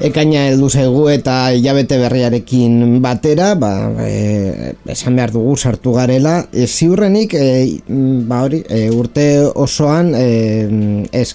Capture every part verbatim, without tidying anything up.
Ekaina heldu zaigu eta hilabete berriarekin batera, ba, e, esan behar dugu sartu garela, e, ziurrenik e, ba hori, e, urte osoan e, ez,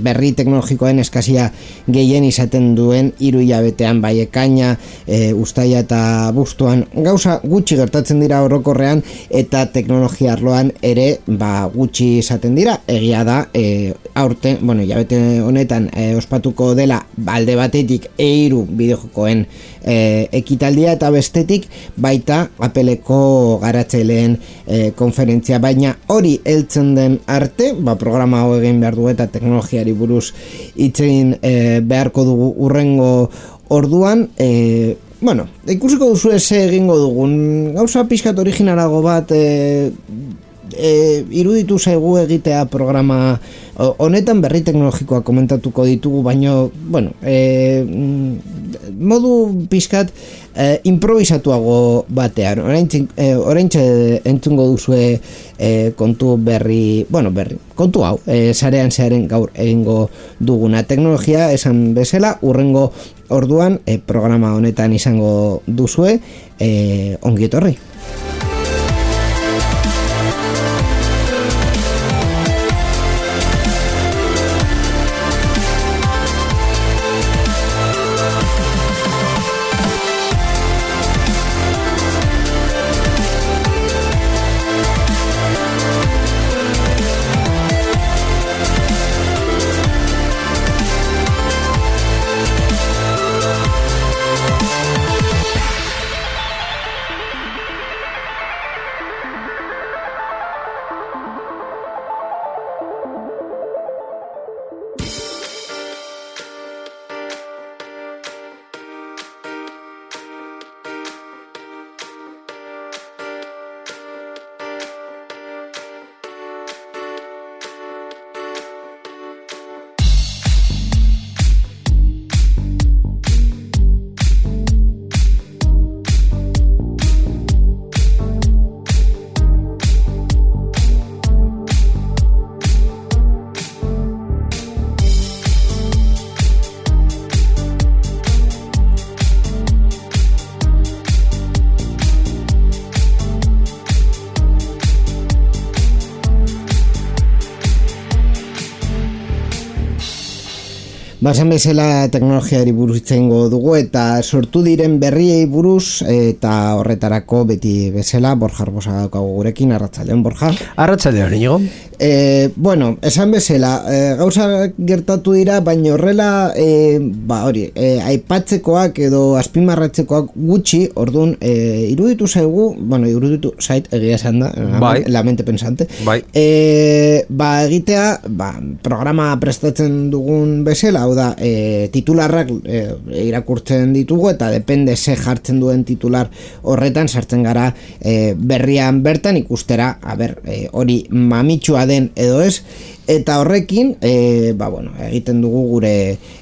berri teknologikoen eskazia gehien izaten duen hiru hilabetean, bai ekaina, e, uztaila eta abuztuan gauza gutxi gertatzen dira orokorrean eta teknologia arloan ere ba, gutxi izaten dira. Egia da, e, aurte, bueno, hilabete honetan e, ospatuko dela alde batetik eiru bideojokoen e, ekitaldia eta bestetik baita Appleko garatzaileen e, konferentzia, baina hori heltzen den arte, ba, programa hau egin behar du eta teknologiari buruz hitz egin e, beharko dugu urrengo orduan. e, bueno, ikusiko duzu eze egingo dugun gauza pixkat originalago bat e, E, iruditu zaigu egitea programa honetan. Berri teknologikoa komentatuko ditugu, baino bueno, e, modu pixkat e, improvisatuago batean. Oraintxe e, oraintxe entzungo duzue e, kontu berri, bueno, berri, kontu hau, e, sarean zearen gaur egingo duguna. Teknologia esan bezala urrengo orduan e, programa honetan izango duzue. e, ongi etorri. Basan bezala teknologiari buruz itzengo dugu eta sortu diren berriei buruz, eta horretarako beti bezala Borja Arbosa daukagu gurekin. Arratsaldeon, Borja. Arratsaldeon, Inigo. E, bueno, esan bezala, e, gauza gertatu dira, baina horrela e, ba hori, e, aipatzekoak edo azpimarratzekoak gutxi, orduan e, iruditu zaigu, bueno, iruditu zait egia esan da, bai. La mente pensante. Bai. E, ba egitea, ba, programa prestatzen dugun bezala, hau da, e, titularrak e, irakurtzen ditugu eta depende ze jartzen duen titular horretan sartzen gara e, berrian bertan ikustera, a ber, e, hori mamitsua den edo ez, eta horrekin e, ba, bueno, egiten dugu gure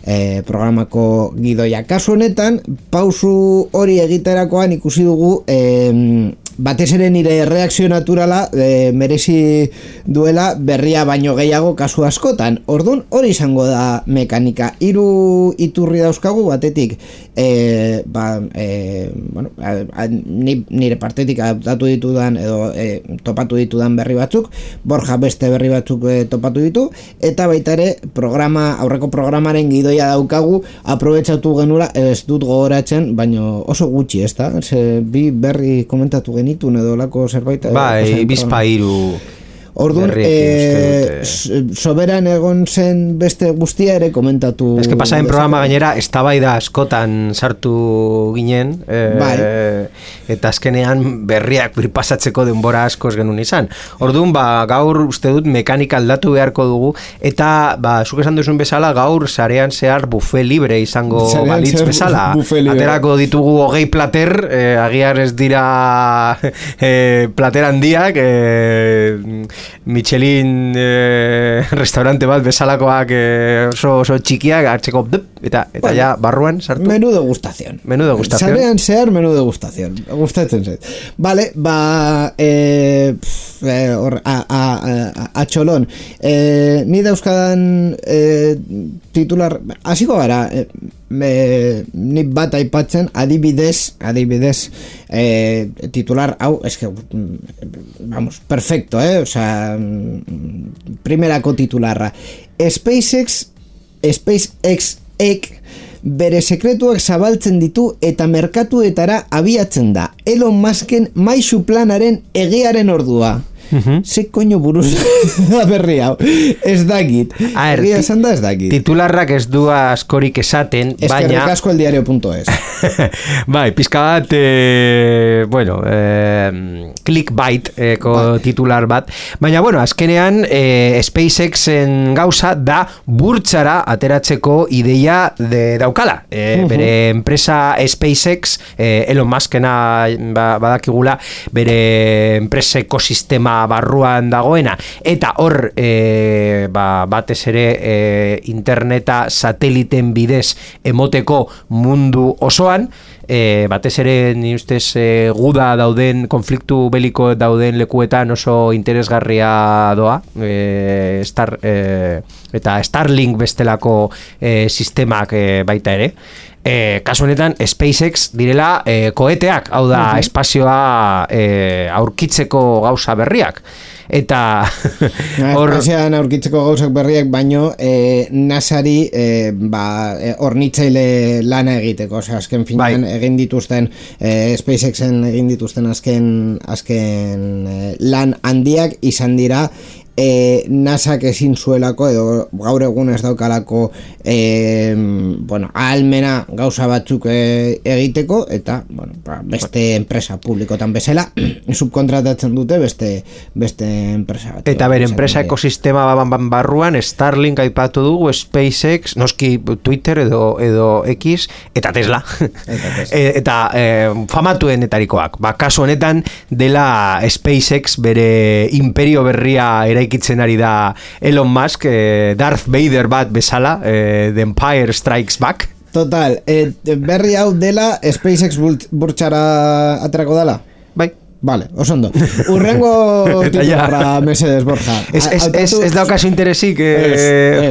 e, programako gidoia. Kasu honetan, pausu hori egiterakoan ikusi dugu e, batez ere nire reakzio naturala e, merezi duela berria baino gehiago kasu askotan. Ordun hori izango da mekanika. Hiru iturri dauzkagu, batetik e, ba, e, bueno, a, a, nire partetik adaptatu ditudan edo e, topatu ditudan berri batzuk, Borja beste berri batzuk e, topatu ditu, eta baita ere programa, aurreko programaren gidoia daukagu, aprobetxatu genula, ez dut gogoratzen, baino oso gutxi, ez da? Ze, bi berri komentatu genitun edo lako zerbait. Bai, bizpa hiru. Orduan, e, soberan egon zen beste guztia ere komentatu. Ez que pasaren programa gainera, eztabaida askotan sartu ginen, e, bai. Eta azkenean berriak birpasatzeko denbora askoz genuen izan. Orduan, ba, gaur uste dut mekanika aldatu beharko dugu, eta, ba, zuk esan duzun bezala, gaur sarean zehar buffet libre izango sarean balitz bezala. Aterako ditugu hogei plater, eh, agiar ez dira eh, plater handiak, eh, Michelin eh, restaurante bat bezalakoak eh, oso, oso txikiak hartzeko eta, eta bueno, ja barruan sartu. Menú degustación. Menú degustación. Sarean zehar menú degustación. Gustatzen zait. Vale, ba eh, eh, or, a, a, a, a txolon. Eh, ni dauzkadan eh, titular, hasiko gara, eh, Me, ni bat aipatzen adibidez adibidez eh, titular hau es que vamos, perfecto, eh? O sea, primerako titularra SpaceX SpaceX ek bere sekretuak zabaltzen ditu eta merkatuetara abiatzen da Elon Musken maisu planaren egearen ordua. Uh-huh. Ze koño buruz da berri hau ez dakit egia esan da ez dakit titularrak ez du askorik esaten es baina eskerrik asko el diario punto es bai, pizka bat eh, bueno eh, clickbait eh, ko bai. Titular bat baina bueno, azkenean eh, SpaceXen gauza da burtsara ateratzeko ideia de daukala eh, uh-huh. Bere enpresa SpaceX eh, Elon Muskena ba, badakigula bere enpresa ekosistema barruan dagoena eta hor e, ba, batez ere e, interneta sateliten bidez emoteko mundu osoan e, batez ere ni ustez e, guda dauden konfliktu beliko dauden lekuetan oso interesgarria doa e, Star, e, eta Starlink bestelako e, sistemak e, baita ere E, kasu honetan SpaceX direla e, koeteak, hau da uh-huh. espazioa e, aurkitzeko gauza berriak eta hor espazioan aurkitzeko gauzak berriak baino e, NASAri e, ba, e, hornitzaile lana egiteko, osea azken finean bai. Egin dituzten e, SpaceXen egin dituzten azken azken e, lan handiak izan dira E, NASAk ezin zuelako edo gaur egun ez daukalako e, bueno, ahalmena gauza batzuk e, egiteko eta bueno, beste enpresa publikotan bezala subkontratatzen dute beste beste enpresa bat. Eta ber, enpresa ekosistema barruan Starlink aipatu dugu, SpaceX, noski Twitter edo, edo X eta Tesla. Eta, Tesla. e, eta e, famatuenetarikoak. Ba, kasu honetan dela SpaceX bere imperio berria eraik itzen ari da Elon Musk, eh, Darth Vader bat bezala, eh, The Empire Strikes Back. Total, eh, berri hau dela SpaceX burtsara aterako dela? Bai. Vale, osondo. Urrengo titularra mesedes, Borja. Ez, ez, ez, ez daukazu interesik eh,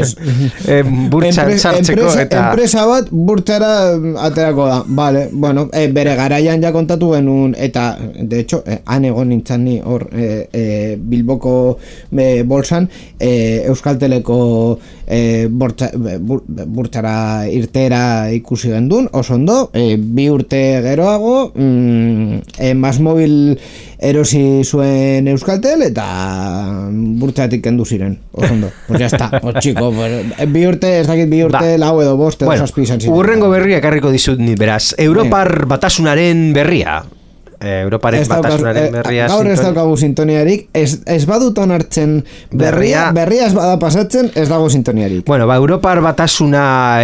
eh, burtsan sartzeko enpresa, eta... Enpresa bat burtsara aterako da. Vale, bueno, eh, bere garaian ja kontatu genuen, eta, de hecho, eh, han egon nintzen ni hor eh, eh, Bilboko eh, bolsan, eh, Euskalteleko eh, burtsa, bur, burtsara irtera ikusi gendun, osondo, eh, bi urte geroago, mm, eh, Masmobil erosi zuen Euskaltel eta burtsatik kendu ziren. Osondo. Pues ya está. Pues chico, pues, bi urte, ez dakit bi urte, ba. Lau edo bost, edo bueno, zazpi izan ziren. Urrengo berria ekarriko dizut ni beraz. Europar batasunaren berria. Europaren batasunaren berria. Gaur ez daukagu sintoniarik, ez, ez badutan hartzen berria, berria ez bada pasatzen, ez dago sintoniarik. Bueno, ba, Europar batasuna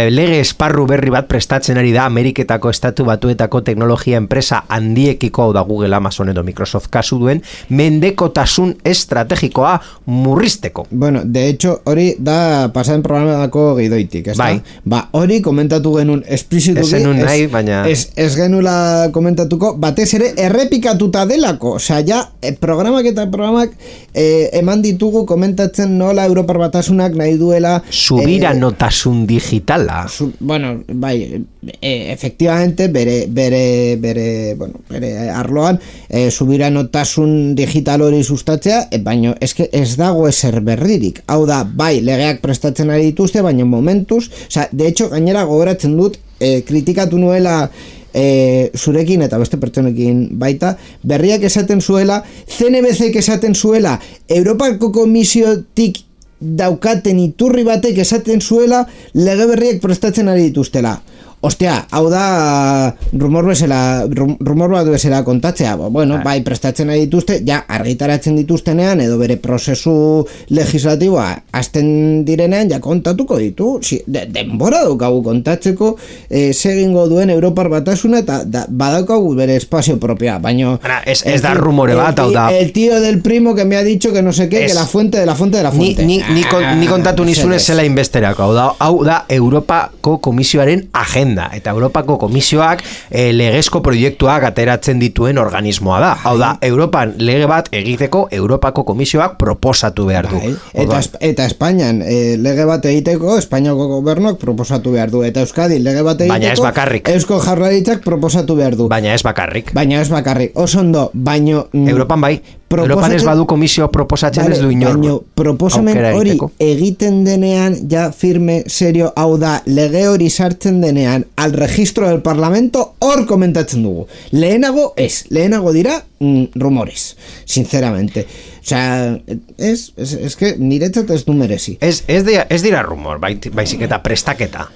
lege esparru berri bat prestatzen ari da Ameriketako estatu batuetako teknologia enpresa handiekiko, hau da Google, Amazon edo Microsoft kasu duen, mendekotasun estrategikoa murrizteko. Bueno, de hecho, hori da pasaren programako gidoitik, ez bai. da? Ba, hori komentatu genuen esplizituki, ez, nahi, baina... ez, ez genula komentatuko, batez ere errepikatuta delako, osea, ja, eh, programak eta programak eh, eman ditugu komentatzen nola Europar batasunak nahi duela subiranotasun eh, digitala. Su, bueno, bai, eh, efectivamente, bere, bere, bere, bueno, bere arloan eh, subiranotasun digital hori sustatzea, eh, baina eske ez dago ezer berririk. Hau da, bai, legeak prestatzen ari dituzte, baina momentuz, osea, de hecho, gainera gogoratzen dut, e, kritikatu nuela e, zurekin eta beste pertsonekin baita, berriak esaten zuela, C N B C esaten zuela, Europako Komisiotik daukaten iturri batek esaten zuela lege berriak prestatzen ari dituztela. Ostia, hau da rumor bezala, rumor bat bezala kontatzea. Bueno, bai, prestatzen ari dituzte, ja, argitaratzen dituztenean, edo bere prozesu legislatiboa hasten direnean, ja kontatuko ditu. Si, de, denbora daukagu kontatzeko eh, segingo duen Europar Batasuna, eta da, badaukagu bere espazio propia, baino... Ez, ez da rumore bat, hau da... El tío del primo que me ha dicho que no sé qué, es, que la fuente de la fuente de la fuente. Ni, ni, ni, ah, ni kontatu nizunez zela inbesterako, hau da, hau da Europako Komisioaren agenda. Eta Europako Komisioak e, legezko proiektuak ateratzen dituen organismoa da. Hau da, Europan lege bat egiteko Europako Komisioak proposatu behar du. Eta, eta Espainian e, lege bat egiteko Espainiako gobernuak proposatu behar du. Eta Euskadi lege bat egiteko baina ez bakarrik. Eusko Jaurlaritzak proposatu behar du. Baina ez bakarrik. Baina ez bakarrik. Oso ondo, baino... Europan bai. Europan ez badu komisio proposatzen ez du inor. Baina proposamen hori egiten denean, ja firme, serio, hau da, lege hori sartzen denean, al registro del parlamento, hor komentatzen dugu. Lehenago ez, lehenago dira mm, rumores, sinceramente. O sea, es, es, es que niretzat ez du merezi. Ez, ez, dira, ez dira rumor, baizik eta prestaketa.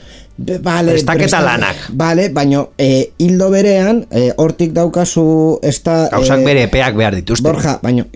Vale, prestaketa lanak. Vale, baino, eh, hildo berean, eh, hortik daukazu esta... Gauzak eh, bere epeak behar dituzte. Borja, baino,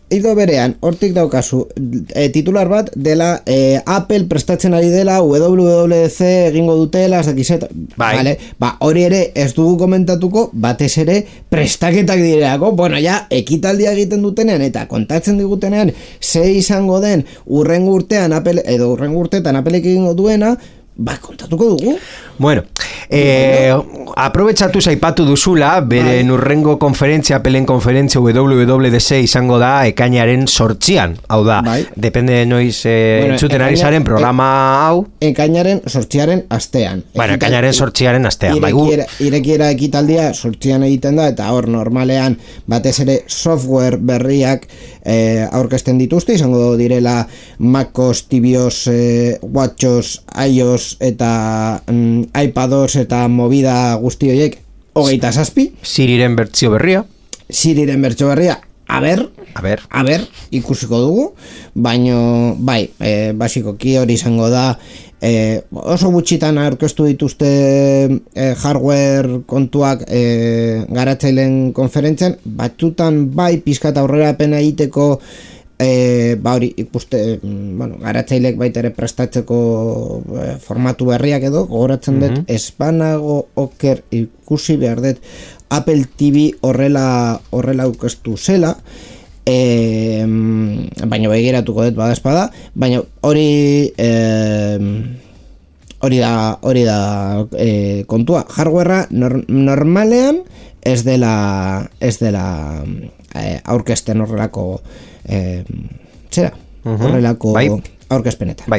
hildo berean, hortik daukazu eh, titular bat dela eh, Apple prestatzen ari dela W W D C egingo dutela, ez dakizet. Bai. Vale, ba, hori ere ez dugu komentatuko, batez ere prestaketak direlako. Bueno, ja, ekitaldia egiten dutenean eta kontatzen digutenean ze izango den urrengo urtean Apple, edo urrengo urteetan Appleek egingo duena, ba, kontatuko dugu. Bueno, eh, aprobetxatu zaipatu duzula, bere nurrengo konferentzia, Appleen konferentzia W W D C izango da ekainaren sortzian. Hau da, bai. Depende noiz eh, bueno, entzuten ari zaren programa e, hau. Ekainaren sortziaren astean. Bueno, ekainaren sortziaren astean. Irekiera, irekiera ekitaldia sortzian egiten da, eta hor normalean batez ere software berriak eh, aurkezten dituzte, izango direla MacOS, tvOS, eh, WatchOS, iOS eta mm, iPados eta movida guzti horiek hogeita zazpi. Siriren bertsio berria. Siriren bertsio berria. A ber, a ber, a ber, ikusiko dugu, baino, bai, e, basikoki hori izango da, e, oso gutxitan aurkeztu dituzte e, hardware kontuak e, garatzaileen konferentzian, batzutan bai pizkat aurrerapena egiteko. E, ba hori ikuste, bueno, garatzailek baita ere prestatzeko e, formatu berriak edo, gogoratzen dut, mm-hmm. espanago oker ikusi behar dut Apple T V horrela horrela aurkeztu zela, e, baina begiratuko dut badazpada, baina hori e, hori da hori da e, kontua, hardwarea nor, normalean ez dela ez dela e, aurkezten horrelako Eh, zera, horrelako bai. Aurkezpenetan. Bai.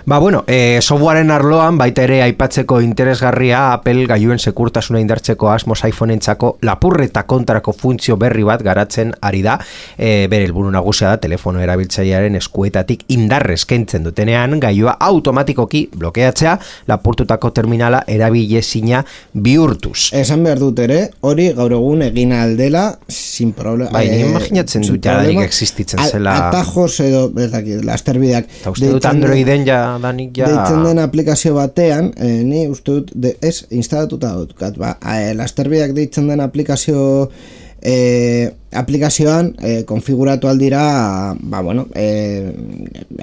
Ba, bueno, eh, softwaren arloan baita ere aipatzeko interesgarria Apple gailuen sekurtasuna indartzeko asmoz iPhoneentzako lapurreta kontrako funtzio berri bat garatzen ari da. E, bere helburu nagusia da telefono erabiltzailearen eskuetatik indarrez kentzen dutenean gailua automatikoki blokeatzea, lapurtutako terminala erabilezina bihurtuz. Esan behar dut ere, hori gaur egun egin aldela sin problema. Bai, ni imaginatzen dut jadanik existitzen zela. Atajos edo, ez dakit, lasterbideak. Eta uste dut Androiden ja, danik ja... Deitzen den aplikazio batean, eh, ni uste dut, de, ez, instalatuta dut, ba, eh, lasterbideak deitzen den aplikazio... Eh, aplikazioan eh, konfiguratu aldira, ba, bueno, eh,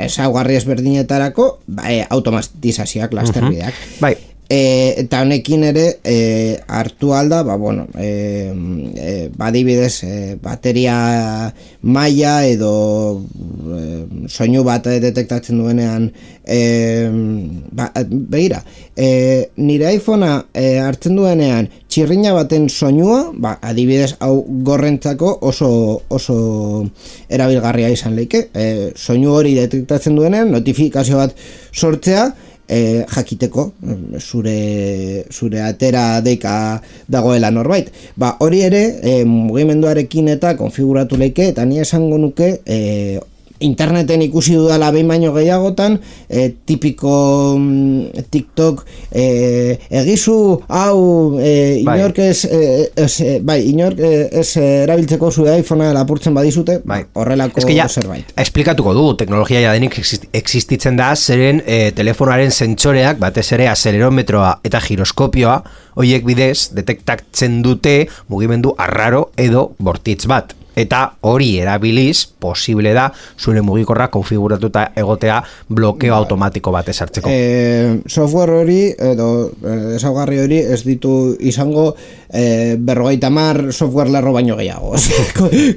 ezaugarri ezberdinetarako, ba, eh, automatizazioak lasterbideak. Uh-huh. Bai. E, eta honekin ere e, hartu alda, ba, bueno, e, e, badibidez e, bateria maila edo e, soinu bat detektatzen duenean e, ba, begira, e, nire iPhonea e, hartzen duenean txirrina baten soinua, ba, adibidez hau gorrentzako oso, oso erabilgarria izan leike, e, soinu hori detektatzen duenean notifikazio bat sortzea, E, jakiteko zure, zure atera deika dagoela norbait. Ba, hori ere e, mugimenduarekin eta konfiguratu leike, eta ni esango nuke e, interneten ikusi dudala behin baino gehiagotan, e, tipiko mm, TikTok e, egizu hau e, inork ez, e, ez e, bai, inork ez erabiltzeko zure iPhonea lapurtzen badizute, bai. Horrelako ja, zerbait. Esplikatuko du, teknologia ja denik existitzen da, zeren e, telefonoaren sentsoreak, batez ere azelerometroa eta giroskopioa, hoiek bidez detektatzen dute mugimendu arraro edo bortitz bat. Eta hori erabiliz, posible da, zure mugikorra konfiguratuta egotea blokeo automatiko bat esartzeko. E, software hori, edo ezaugarri hori, ez ditu izango e, berrogeita mar software lerro baino gehiago.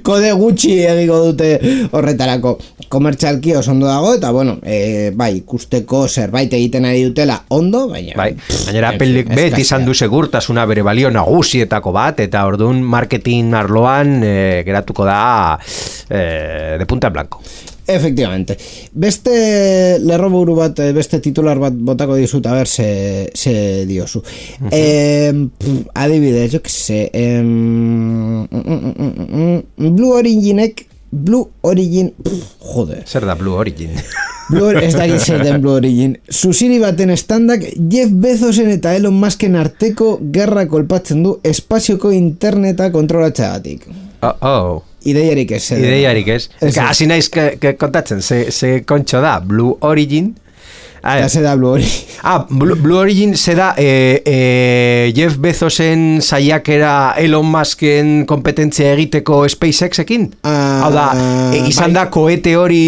Kode gutxi egiko dute horretarako. Komertzialki oso ondo dago, eta bueno, e, bai, ikusteko zerbait egiten ari dutela ondo, baina... Bai, gainera Appleek beti izan du segurtasuna bere balio nagusietako bat, eta orduan marketing arloan e, geratuko da eh, de punta en blanco. Efectivamente. Beste lerroburu bat, beste titular bat botako dizut, a ber, se, se diozu. Uh-huh. eh, pff, adibidez, jo que se... Eh, mm, mm, mm, mm, Blue Originek Blue Origin, pff, joder. Zer da Blue Origin? Blue, ez da zer den Blue Origin. Zuziri baten estandak Jeff Bezosen eta Elon Musken arteko gerra kolpatzen du espazioko interneta kontrolatzeagatik. Oh, oh. Ideiarik ez. Ideiarik ez. Hasi naiz kontatzen, ze, ze kontxo da, Blue Origin. Ya se da Blue Origin. Ah, Blue, Blue Origin se da eh, eh, Jeff Bezosen saiakera Elon Musken kompetentzia egiteko SpaceXekin? Ah, hau da, e, izan bai. Da koete hori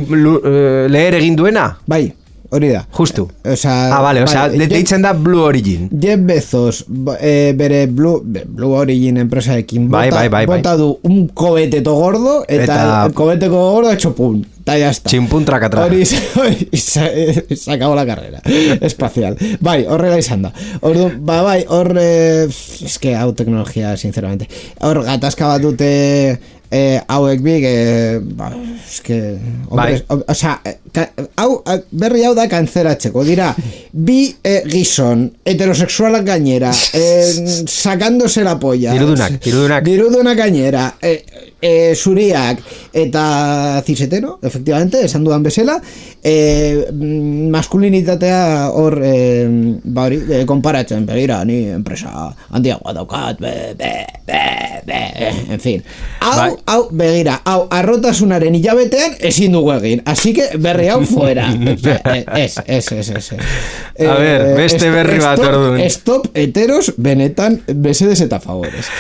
uh, leher egin duena? Bai. Hori da. Justu. O sea, ah, vale, o sea, bai, deitzen da Blue Origin. Jeff Bezos eh, bere Blue, Blue Origin enpresarekin bota, bai, bai, bai, bai. bota du un coheteto gordo eta, eta... el coheteko gordo hecho pum. Ta ya está. Chimpun tracatra. Hori se, se acabó la carrera espacial. Bai, horrela izan da. Ordu, ba, bai, hor eh, es que hau teknologia, sinceramente. Hor gatazka bat dute eh, hauek big eh, ba, es que hombres, bai. o, o sea, ka, hau, berri hau da kantzeratzeko dira bi eh, gizon heterosexualak gainera eh, sacándose la polla dirudunak, dirudunak dirudunak gainera eh, eh, zuriak eta cisetero, efectivamente, esan dudan bezala eh, maskulinitatea hor eh, ba hori, eh, konparatzen begira, ni enpresa handiagoa daukat be, be, be, be, en fin hau, bai. Hau, begira, hau, arrotasunaren hilabetean ezin dugu egin, así que berri hau fuera. Ez, ez, ez, ez. A ver, beste berri bat orduan. Stop heteros benetan besedes eta favores.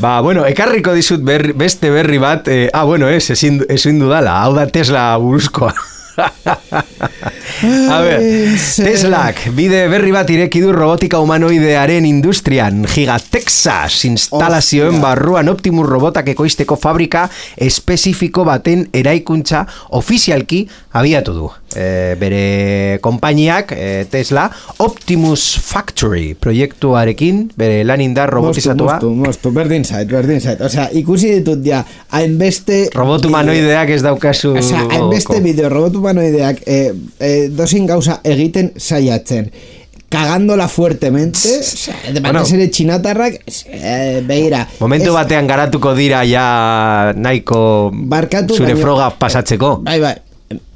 Ba, bueno, ekarriko dizut berri, beste berri bat, eh, ah, bueno, ez, ezin, ezin dudala, hau da Tesla buruzkoa. A ver, Teslak bide berri bat ireki du robotika humanoidearen industrian. Giga Texas instalazioen barruan Optimus robotak ekoizteko fabrika espezifiko baten eraikuntza ofizialki abiatu du. E, bere konpainiak, e, Tesla, Optimus Factory proiektuarekin, bere lan indar robotizatua. Mostu, mostu, mostu, berdin zait, berdin zait. Osea, ikusi ditut ja, hainbeste... Robot humanoideak ez daukazu... Osea, hainbeste bideo, robot humanoideak eh, eh, dozin gauza egiten saiatzen. Cagándola fuertemente, o sea, de bueno, ere txinatarrak, eh, begira. Momentu es, batean garatuko dira ja nahiko barkatu, zure baino, froga pasatzeko. Bai, bai,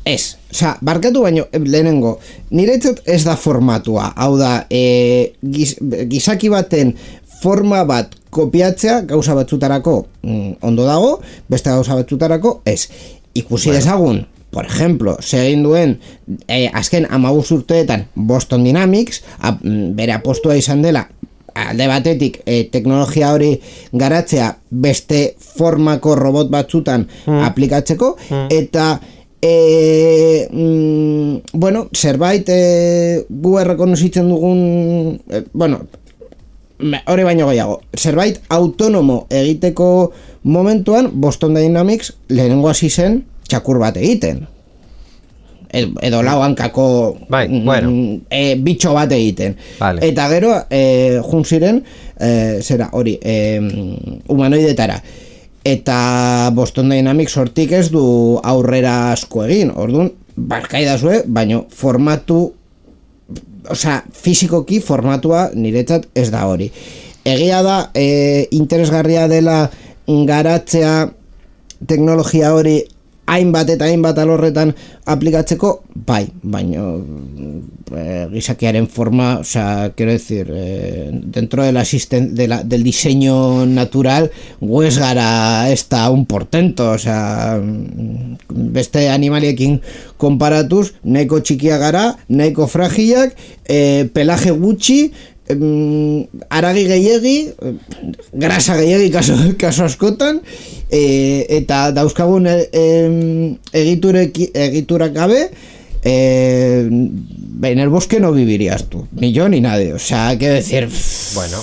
ez. Osa, barkatu baino, lehenengo, niretzat ez da formatua. Hau da, eh, giz, gizaki baten forma bat kopiatzea gauza batzutarako mm, ondo dago, beste gauza batzutarako ez. Ikusi bueno. Dezagun, por ejemplo, segin duen eh, azken amabuz urteetan Boston Dynamics, a, bere apostua izan dela alde batetik eh, teknologia hori garatzea beste formako robot batzutan mm. aplikatzeko mm. eta eh, mm, bueno, zerbait eh, gu errekonozitzen dugun eh, bueno, hori baino gehiago, zerbait autonomo egiteko momentuan Boston Dynamics lehenengo hasi zen txakur bat egiten edo lau hankako bai, bueno. e, bitxo bat egiten vale. Eta gero e, jun ziren e, zera hori e, humanoidetara eta Boston Dynamics hortik ez du aurrera asko egin, orduan barkaidazue, baino formatu osea, fizikoki formatua niretzat ez da hori. Egia da e, interesgarria dela garatzea teknologia hori hainbat eta hainbat alorretan aplikatzeko, bai, baino eh, gizakiaren forma, o sea, quiero decir, eh, dentro del, asisten, de la, del diseño natural, guez gara ez da un portento, o sea, beste animaliekin konparatuz, nahiko txikia gara, nahiko fragilak, eh, pelaje gutxi, haragi gehiegi, grasa gehiegi kaso, kaso askotan, e, eta dauzkagun e, egiturek, egiturak gabe, e, en el bosque no vivirías tú, ni yo ni nadie, o sea, quiero decir, bueno,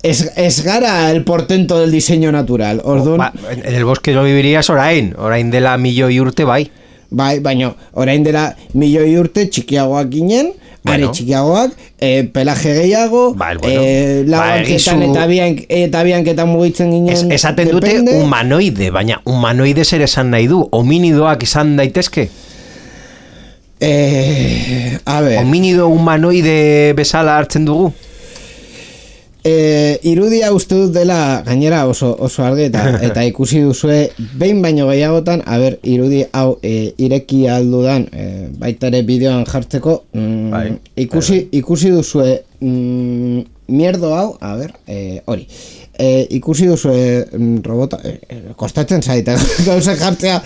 es, es gara el portento del diseño natural. Orduan, ba, en el bosque no vivirías orain, orain dela milioi urte bai. Bai, baina orain dela milioi urte txikiagoak ginen, bueno. Are txikiagoak, eh, pelaje gehiago, ba, bueno. eh, laguanketan ba, eta, bian, eta bianketan mugitzen ginen. Es, esaten depende. Dute humanoide, baina humanoide zer esan nahi du, hominidoak izan daitezke? Eh, a ver. Hominido humanoide bezala hartzen dugu? E, irudia uste dut dela gainera oso, oso argeta eta ikusi duzue behin baino gehiagotan, a ber, irudi hau e, ireki aldudan e, baita ere bideoan jartzeko mm, bai, ikusi, bai. ikusi duzue mm, mierdo hau, a ber, e, hori e, ikusi duzue mm, robota e, kostatzen zaite gauza jartzea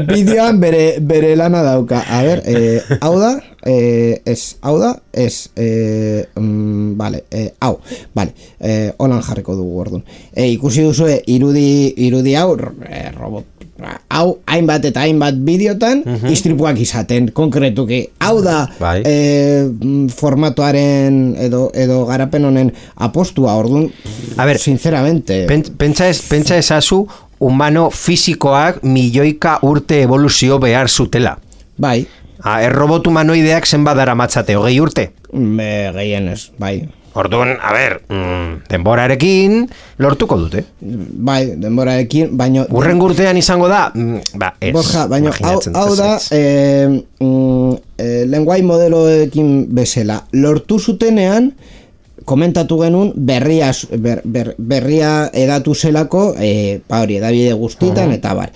bideoan bere, bere lana dauka, a ber, e, hau da Eh, es hau da, es eh, mm, vale, eh, hau, vale, eh, holan jarriko dugu orduan. Eh, ikusi duzue irudi, irudi hau, eh, robot, hau hainbat eta hainbat bideotan uh-huh. istripuak izaten, konkretuki. Hau da bai. eh, formatuaren edo, edo garapen honen apostua, orduan, a ver, sinceramente. Pen, pentsa, ez, pentsa ezazu humano fisikoak milioika urte evoluzio behar zutela. Bai. Ah, errobot humanoideak zenbat daramatzate, hogei urte? Me, gehienez, bai. Orduan, a ber, mm, denborarekin lortuko dute. Bai, denborarekin, baino... Urren urtean izango da, mm, ba, ez. Borja, baino, hau, hau da, eh, mm, eh, lenguai modeloekin bezala. Lortu zutenean, komentatu genuen, berria, ber, ber, berria edatu zelako, eh, pa hori, edabide guztitan, uh-huh. eta bar.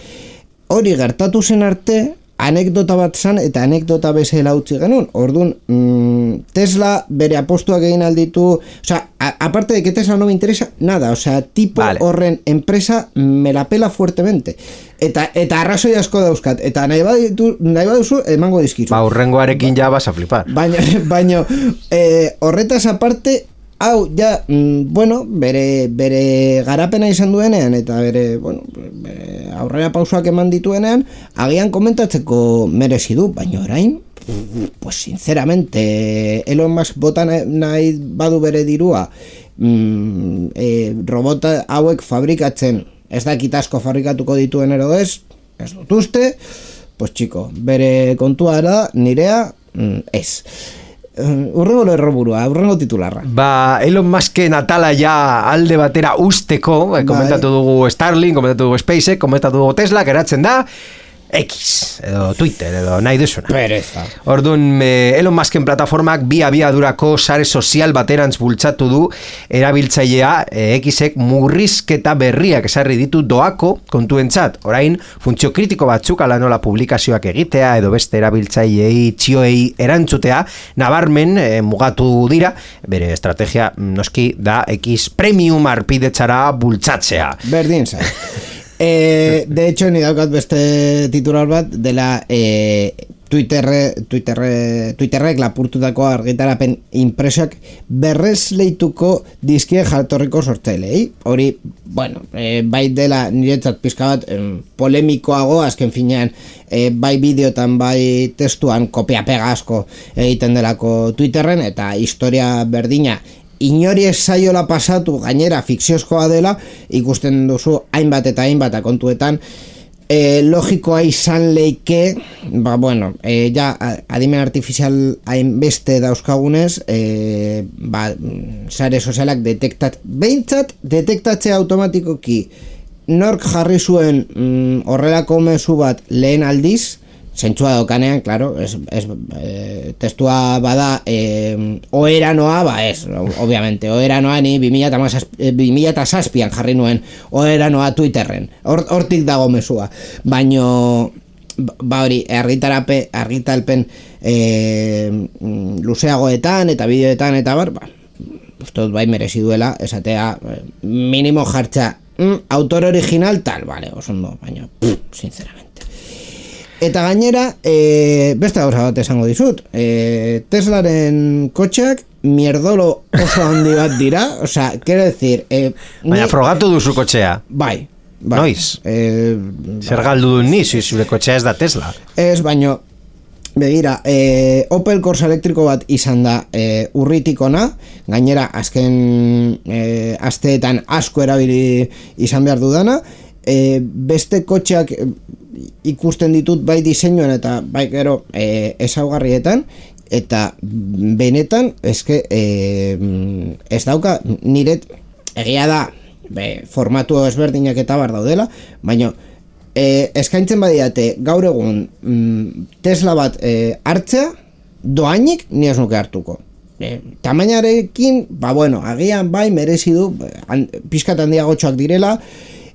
Hori gertatu zen arte, anekdota bat zan eta anekdota bezala utzi genuen. Orduan, mmm, Tesla bere apostuak egin alditu, o sea, a, aparte de que Tesla no me interesa nada, o sea, tipo vale. Horren empresa me la pela fuertemente. Eta eta arrazoi asko dauzkat, eta nahi baditu, nahi baduzu emango dizkizu. Ba, urrengoarekin ba, ja vas a flipar. Baina, baina eh, horretaz aparte, hau, ja, mm, bueno, bere, bere garapena izan duenean, eta bere, bueno, bere aurrera pausoak eman dituenean, agian komentatzeko merezi du, baina orain, pues sinceramente, Elon Musk bota nahi badu bere dirua, mm, e, robota hauek fabrikatzen, ez dakit asko fabrikatuko dituen ero ez, ez dut uste, pues chico, bere kontua da, nirea, mm, ez. Urrengo lerroburua, urrengo titularra. Ba, Elon Musken atala ja alde batera usteko, eh, komentatu dugu Starlink, komentatu dugu SpaceX, komentatu dugu Tesla, geratzen da X, edo Twitter, edo nahi duzuna. Pereza. Orduan, eh, Elon Musken plataformak bi abiadurako sare sozial baterantz bultzatu du erabiltzailea eh, Xek murrizketa berriak esarri ditu doako kontuentzat. Orain, funtzio kritiko batzuk ala nola publikazioak egitea edo beste erabiltzailei txioei erantzutea, nabarmen eh, mugatu dira, bere estrategia noski da X Premium arpidetzara bultzatzea. Berdin zai. Eh, de hecho, ni daukat beste titular bat dela eh, Twitterre, Twitterre, Twitterrek lapurtutako argitarapen impresioak berrez leituko dizkie jatorriko sortzailei. Hori, bueno, eh, bai dela niretzat pizka bat eh, polemikoago, azken finean eh, bai bideotan, bai testuan kopia pega asko egiten delako Twitterren, eta historia berdina inori ez zaiola pasatu, gainera fikziozkoa dela, ikusten duzu hainbat eta hainbat kontuetan, e, logikoa izan leike, ba bueno, e, ja adimen artifizial hainbeste dauzkagunez, e, ba, sare sozialak detektat, behintzat detektatzea automatikoki nork jarri zuen mm, horrelako mezu bat lehen aldiz, zentzua daukanean, claro, es, es, e, testua bada e, oeranoa, ba ez, obviamente, oeranoa ni bi mila zazpian jarri nuen oeranoa Twitterren, hortik dago mesua, baino ba hori, argitarape, argitalpen e, luzeagoetan eta bideoetan eta bar, ba, uste dut bai merezi duela, esatea, minimo jartza, mm, autor original tal, vale, osondo, baina, pff, sinceramente. Eta gainera, e, beste gauza bat esango dizut, e, Teslaren kotxeak mierdolo oso handi bat dira, osea, quiero decir... E, baina ni, frogatu duzu kotxea. Bai, bai. Noiz? E, Zer galdu du ni, zure kotxea ez da Tesla. Ez, baino, begira, e, Opel Corsa elektriko bat izan da e, urritik ona, gainera azken e, asteetan asko erabili izan behar dudana, e, beste kotxeak ikusten ditut bai diseinuan eta bai gero e, ezaugarrietan, eta benetan eske e, ez dauka niret egia da be, formatu ezberdinak eta bar daudela, baina e, eskaintzen badiate gaur egun mm, Tesla bat e, hartzea doainik ni ez nuke hartuko. E, tamainarekin, ba bueno, agian bai merezi du an, pizkat handiagotxoak direla,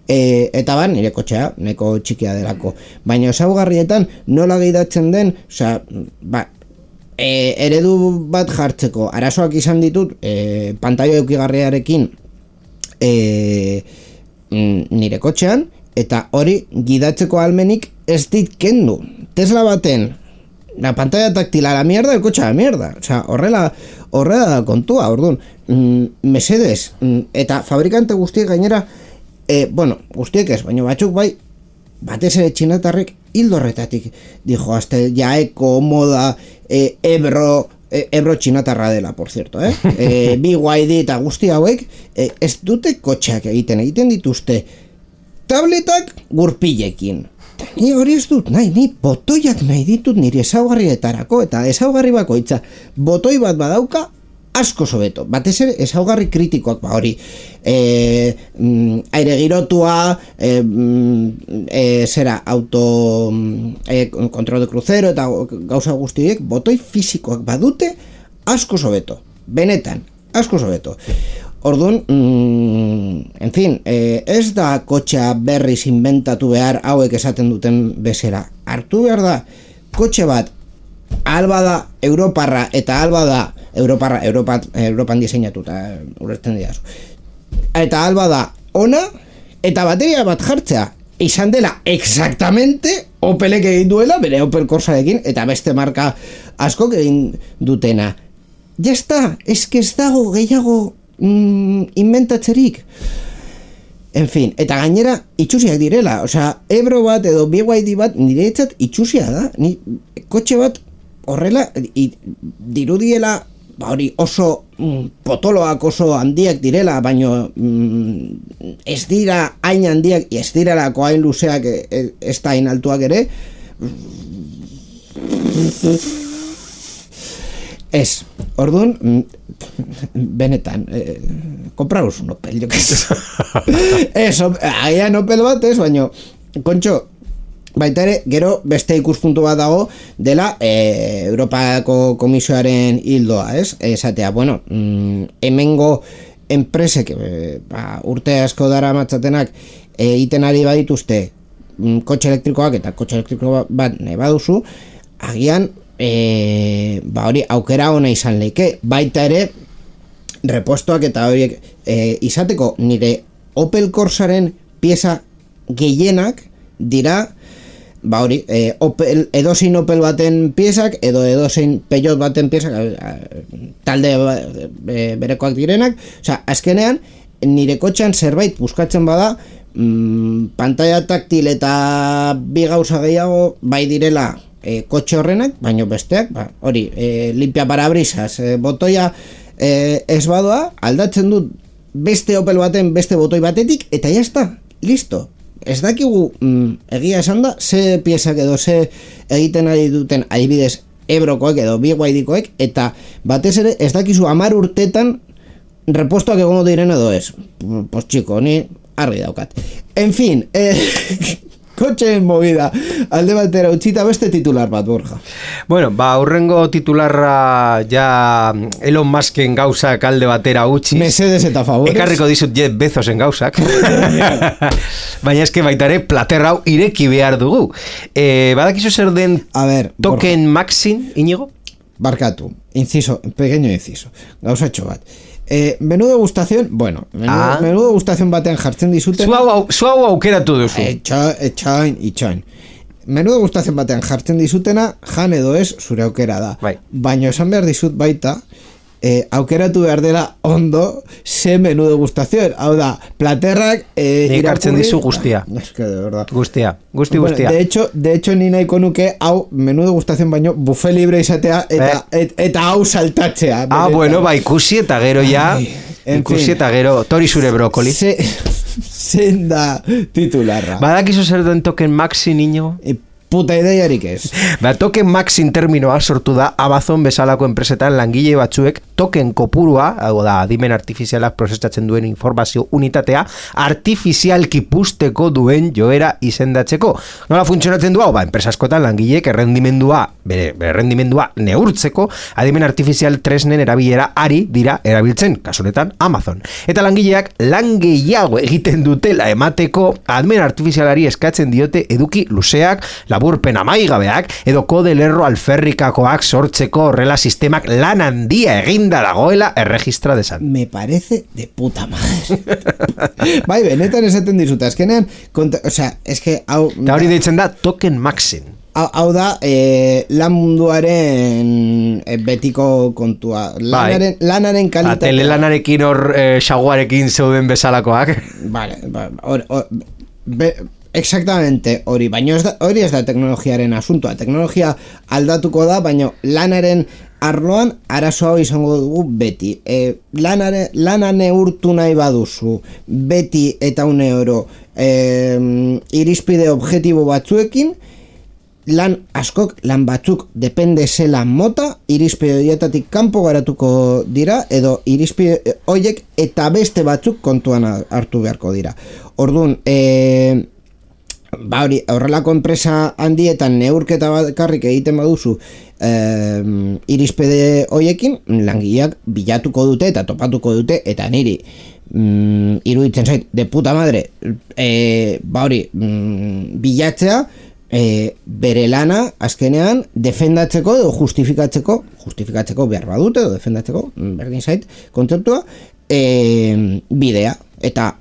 E, eta ban, nire kotxea, neko txikia delako, baina ezaugarrietan nola gehidatzen den, osea, ba, e, eredu bat jartzeko arazoak izan ditut e, pantailo eukigarriarekin e, nire kotxean, eta hori gidatzeko almenik ez dit kendu. Tesla baten la pantalla táctil a la mierda, el coche a la mierda, osea, horrela horrela kontua, orduan, mm, mesedes, mm, eta fabrikante guztiek gainera E, bueno, guztiek ez, baina batzuk bai, batez ere txinatarrek hildo horretatik dijo, hasta jaeko, moda, e, ebro, e, ebro txinatarra dela, por cierto, eh? E, B Y D eta guzti hauek, e, ez dute kotxeak egiten, egiten dituzte tabletak gurpilekin. Ni hori ez dut, nahi, ni botoiak nahi ditut nire ezaugarrietarako, eta ezaugarri bakoitza, botoi bat badauka, asko sobeto, batez ere ezaugarri kritikoak, ba hori e, mm, aire girotua e, mm, e, zera auto e, kontrol de crucero eta gauza guztiek botoi fisikoak badute asko sobeto, benetan asko sobeto. Orduan, mm, en fin, e, ez da kotxea berriz inventatu behar hauek esaten duten bezera, hartu behar da kotxe bat alba da Europarra eta alba da Europarra, Europa, Europan diseinatuta ulertzen dira. Eta alba da ona eta bateria bat jartzea izan dela exactamente Opelek egin duela bere Opel Corsarekin eta beste marka askok egin dutena. Ya está, es que ez dago gehiago mm, inventatzerik. En fin, eta gainera itxusiak direla, osea, Ebro bat edo B Y D bat niretzat itxusia da. Ni kotxe bat horrela i, dirudiela ba hori oso mm, potoloak oso handiak direla, baino mm, ez dira hain handiak, ez direlako hain luzeak, ez da hain altuak ere. Ez, orduan, benetan, eh, kompraus un Opel, jo que sé. Ez, agian Opel bat ez, baino, kontxo, baita ere, gero beste ikuspuntu bat dago dela e, Europako Komisioaren hildoa, ez? Esatea, bueno, mm, hemengo enpresek e, ba, urte asko dara matzatenak egiten ari badituzte mm, kotxe elektrikoak eta kotxe elektriko bat nahi baduzu, agian e, ba hori aukera ona izan leike, baita ere repostoak eta horiek e, izateko nire Opel Corsaren pieza gehienak dira ba hori, e, Opel, edozein Opel baten piezak, edo edozein Peugeot baten piezak, talde e, berekoak direnak, osea, azkenean, nire kotxean zerbait buskatzen bada, mm, pantalla taktil eta bi gauza gehiago bai direla e, kotxe horrenak, baino besteak, ba, hori, e, limpia parabrisas, e, botoia e, ez badoa, aldatzen dut beste Opel baten beste botoi batetik, eta jazta, listo. Ez dakigu, mm, egia esan da, ze piezak edo ze egiten ari duten adibidez Ebrokoek edo B Y D-koek, eta batez ere ez dakizu hamar urtetan repostoak egongo diren edo ez. Pues chico, ni argi daukat. En fin, eh, kotxeen movida alde batera utzita beste titular bat, Borja. Bueno, ba, urrengo titularra ja Elon Musken gauzak alde batera utziz. Mesedes eta favores. Ekarriko dizut Jeff Bezosen gauzak. Baina eske baita ere plater hau ireki behar dugu. Eh, badakizu zer den A ver, token Maxin, Iñigo? Barkatu, inciso, pequeño inciso. Gauzatxo bat. Eh, menudo gustación, bueno, menudo, ah. menudo gustación batean jartzen dizuten. Zu hau aukeratu duzu. Etxain, itxain. Menudo gustación batean jartzen dizutena, jan edo ez, zure aukera da. Bai. Baina esan behar dizut baita, eh, aukeratu behar dela ondo, ze menudo gustación. Hau da, platerrak eh, irakurri... hartzen dizu guztia. Es que de verdad. Guztia, guzti bueno, guztia. De hecho, de hecho, ni nahiko nuke, hau, menudo gustación baino, buffet libre izatea, eta, eh. et, eta hau saltatzea. Ah, bueno, ba, ikusi eta gero ja, Ai, ikusi eta gero, tori zure brokoli. Se, zein da titularra. Badakizu zer den token Maxi, niño? E, puta ideiarik ez. Ba, token Maxin terminoa sortu da Amazon bezalako enpresetan langile batzuek token kopurua, hau da, adimen artifizialak prozesatzen duen informazio unitatea, artifizialki pusteko duen joera izendatzeko. Nola funtzionatzen du hau? Ba, enpresa askotan langileek errendimendua, bere, bere errendimendua neurtzeko, adimen artifizial tresnen erabilera ari dira erabiltzen, kasunetan Amazon. Eta langileak lan gehiago egiten dutela emateko, adimen artifizialari eskatzen diote eduki luzeak, laburpen amaigabeak, edo kode lerro alferrikakoak sortzeko horrela sistemak lan handia eginda dagoela erregistra desan. Me parece de puta madre. Bai, benetan esaten dizuta, eskenean, konta, o sea, eske hau... Eta hori deitzen da token Maxin. Hau, hau da, e, lan munduaren e, betiko kontua. Lanaren, bai. Lanaren kalitatea. Telelanarekin hor e, xaguarekin zeuden bezalakoak. Vale, hor... Exactamente, hori, baina hori ez da teknologiaren asuntoa. Teknologia aldatuko da, baina lanaren arloan arazo hau izango dugu beti. E, lanare, lana neurtu nahi baduzu beti eta une oro e, irizpide objektibo batzuekin, lan askok, lan batzuk depende zela mota, irizpide horietatik kanpo garatuko dira, edo irizpide horiek eta beste batzuk kontuan hartu beharko dira. Orduan, e, ba hori, horrelako enpresa handietan neurketa bakarrik egiten baduzu eh, irizpide hoiekin, langileak bilatuko dute eta topatuko dute, eta niri mm, iruditzen zait, de puta madre, eh, ba hori, mm, bilatzea, eh, bere lana azkenean defendatzeko edo justifikatzeko, justifikatzeko behar badute edo defendatzeko, berdin zait, kontzeptua, eh, bidea, eta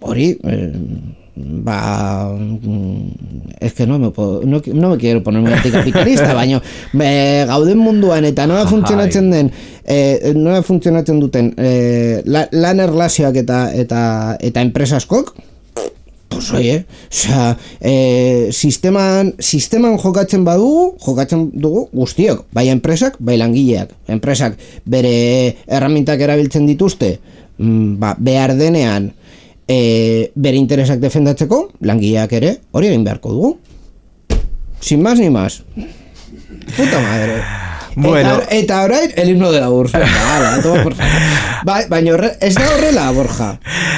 hori... Eh, ba es que no me puedo, no, no me quiero ponerme anticapitalista, baina me, gauden munduan eta nola funtzionatzen den eh, nola funtzionatzen duten eh, la, lan erlazioak eta eta eta enpresaskok, pues oye, o sea, eh, sisteman sisteman jokatzen badugu, jokatzen dugu guztiok, bai enpresak, bai langileak. Enpresak bere erramintak erabiltzen dituzte, mm, ba, behar denean E, bere interesak defendatzeko, langileak ere, hori egin beharko dugu. Sin más ni más. Puta madre. Bueno. Eta, eta orain, el himno de la Ursa. Ba, baina horre, ez da horrela, Borja.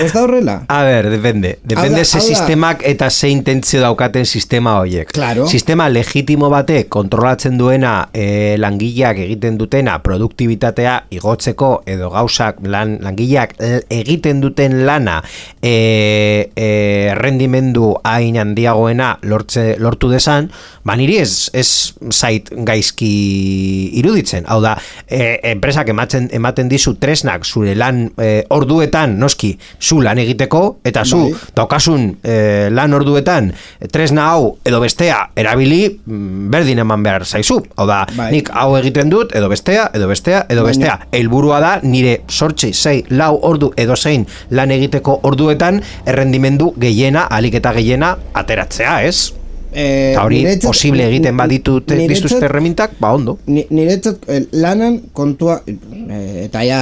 Ez da horrela. A ver, depende. Depende ze sistemak eta ze intentzio daukaten sistema horiek. Claro. Sistema legitimo bate kontrolatzen duena e, langileak egiten dutena produktibitatea igotzeko edo gauzak lan, langileak egiten duten lana e, e, rendimendu hain handiagoena lortze, lortu desan, ba niri ez, ez zait gaizki iruditzen. Hau da, e, enpresak ematen, ematen dizu tresnak zure lan e, orduetan, noski, zu lan egiteko, eta zu bai. Daukasun e, lan orduetan tresna hau edo bestea erabili berdin eman behar zaizu. Hau da, bai. Nik hau egiten dut, edo bestea, edo bestea, edo Baina. bestea. Helburua da, nire sortzi, sei, lau ordu edo zein lan egiteko orduetan errendimendu gehiena, alik eta gehiena ateratzea, ez? Eh, eta hori posible egiten baditut dituzte erremintak, ba ondo. Niretzat lanan kontua eh, eta ja...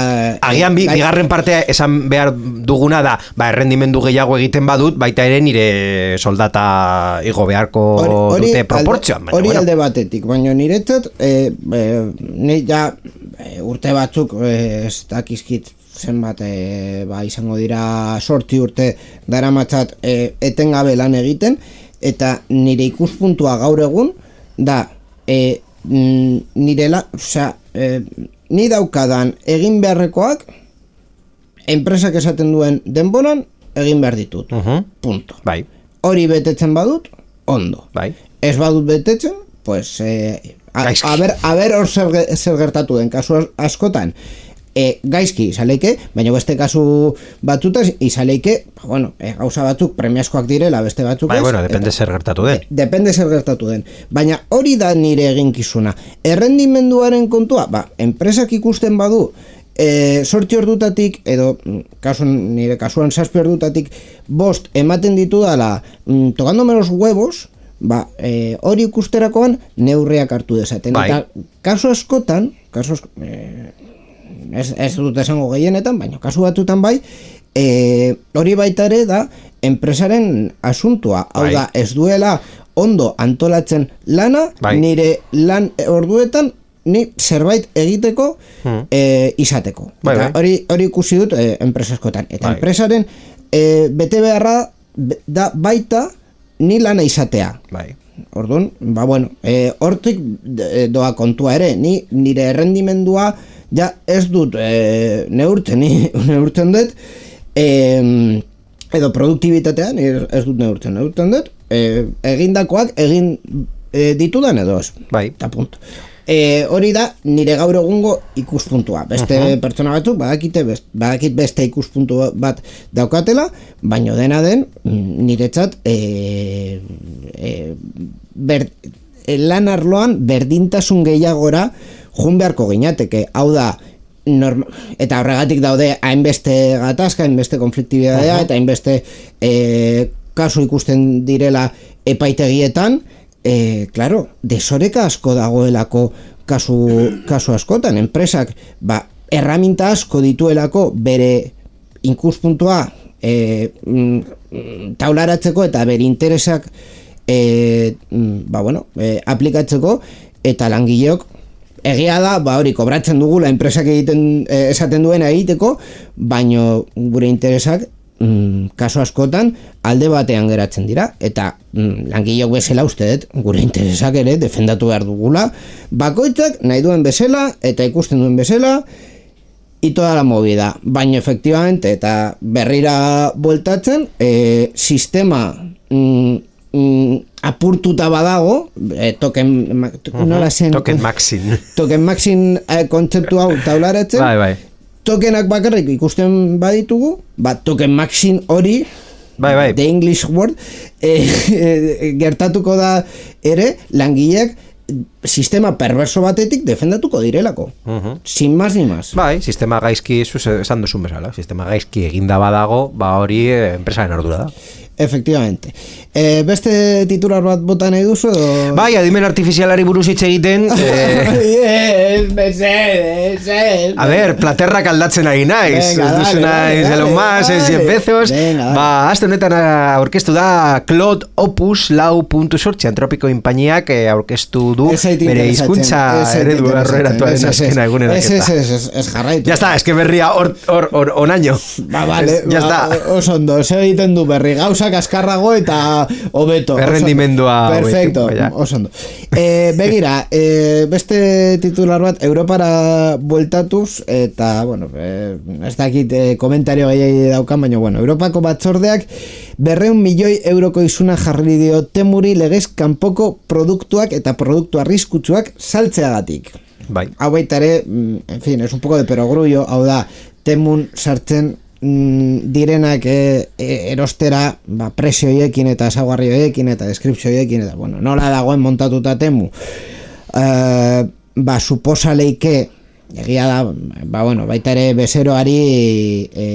Agian bi, bigarren partea esan behar duguna da, ba errendimendu gehiago egiten badut, baita ere nire soldata igo beharko ori, dute proportzioan. Hori alde, bueno. alde batetik, baina niretzat eh, eh, nire ja eh, urte batzuk eh, ez dakizkit zenbat eh, ba, izango dira sortzi urte daramatzat eh, etengabe lan egiten, eta nire ikuspuntua gaur egun da e, nirela, osea, e, ni daukadan egin beharrekoak enpresak esaten duen denboran egin behar ditut. Uh-huh. Punto. Bai. Hori betetzen badut, ondo. Bai. Ez badut betetzen, pues eh, a, a ber, a ber hor zer, zer gertatu den kasu askotan. E, gaizki izaleike, baina beste kasu batzutaz izaleike, bueno, e, gauza batzuk premiazkoak direla, beste batzuk bai, ez. Bueno, depende zer gertatu den. De, depende zer gertatu den. Baina hori da nire eginkizuna. Errendimenduaren kontua, ba, enpresak ikusten badu, e, sortzi ordutatik, edo kasuan, nire kasuan zazpi ordutatik, bost ematen ditu dala, mm, tokandome los huevos, ba, e, hori ikusterakoan neurriak hartu dezaten. Bai. Eta kasu askotan, kasu askotan, e, Ez, ez dut esango gehienetan, baina kasu batzutan bai, e, hori baita ere da enpresaren asuntua. Hau bai. da, ez duela ondo antolatzen lana, bai. Nire lan orduetan ni zerbait egiteko hmm. e, izateko. Bai, Eta bai. hori, hori ikusi dut e, enpresaskotan. Eta bai. enpresaren e, bete beharra da baita ni lana izatea. Bai. Orduan, ba bueno, e, hortik doa kontua ere, ni nire errendimendua ja ez dut e, neurtzen, ni neurtzen dut e, edo produktibitatean ez dut neurtzen, neurtzen dut e, egindakoak egin e, ditudan edo ez. Bai. Eta punto. E, hori da nire gaur egungo ikuspuntua. Beste uh-huh. pertsona batzuk badakite best, badakit beste ikuspuntu bat daukatela, baino dena den niretzat e, e, ber, lan arloan berdintasun gehiagora jun beharko ginateke. Hau da, norma, eta horregatik daude hainbeste gatazka, hainbeste konfliktibidadea, uh-huh. eta hainbeste e, kasu ikusten direla epaitegietan. E, claro, desoreka asko dagoelako kasu, kasu askotan, enpresak ba, erraminta asko dituelako bere ikuspuntua e, mm, taularatzeko eta bere interesak e, ba, bueno, e, aplikatzeko, eta langileok egia da, ba hori kobratzen dugula enpresak egiten e, esaten duena egiteko, baino gure interesak Mm, kaso askotan alde batean geratzen dira, eta mm, langileok bezala uste dut gure interesak ere defendatu behar dugula, bakoitzak nahi duen bezala eta ikusten duen bezala y toda la movida, baina efectivamente eta berrira bueltatzen e, sistema mm, mm, apurtuta badago e, token uh-huh. nola zen token maxin token maxin e, kontzeptu hau taularatzen bai, bai. Tokenak bakarrik ikusten baditugu, bat token maxin hori, bai, bai. the English word, e, e, gertatuko da ere langileak sistema perverso batetik defendatuko direlako. Uh-huh. Sin más ni más. Bai, sistema gaizki, esan duzun bezala, sistema gaizki eginda badago, ba hori enpresaren ardura da. Efectivamente. E, beste titular bat bota nahi duzu edo... Bai, adimen artifizialari buruz hitz egiten eh... yes, yes, a ver, platerrak aldatzen ari naiz ez duzu naiz Elon Musk, ez Jeff Bezos ba, azte honetan aurkeztu da Claude Opus lau puntu zortzi Antropiko inpainiak aurkeztu du bere hizkuntza eredu aurreratuaren azkena egunerak ez, ez, ez, ez jarraitu ya está, es que berria or, or, or, onaino ba, vale, ya ba, está oso ondo, se egiten du berri gauza kaskarrago eta hobeto. Errendimendua perfecto, oso ondo. E, begira, e, beste titular bat Europara bueltatuz eta, bueno, e, ez dakit e, komentario gehiagi daukan, baina, bueno, Europako batzordeak berreun milioi euroko izuna jarri dio Temuri legez kanpoko produktuak eta produktu arriskutsuak saltzeagatik. Bai. Hau baita ere, en fin, es un poco de perogrullo, hau da, Temun sartzen direnak e, e, erostera ba, presio hoiekin eta ezaugarri hoiekin eta deskripzio hoiekin eta bueno, nola dagoen montatuta Temu e, ba, suposa leike egia da, ba, bueno, baita ere bezeroari e,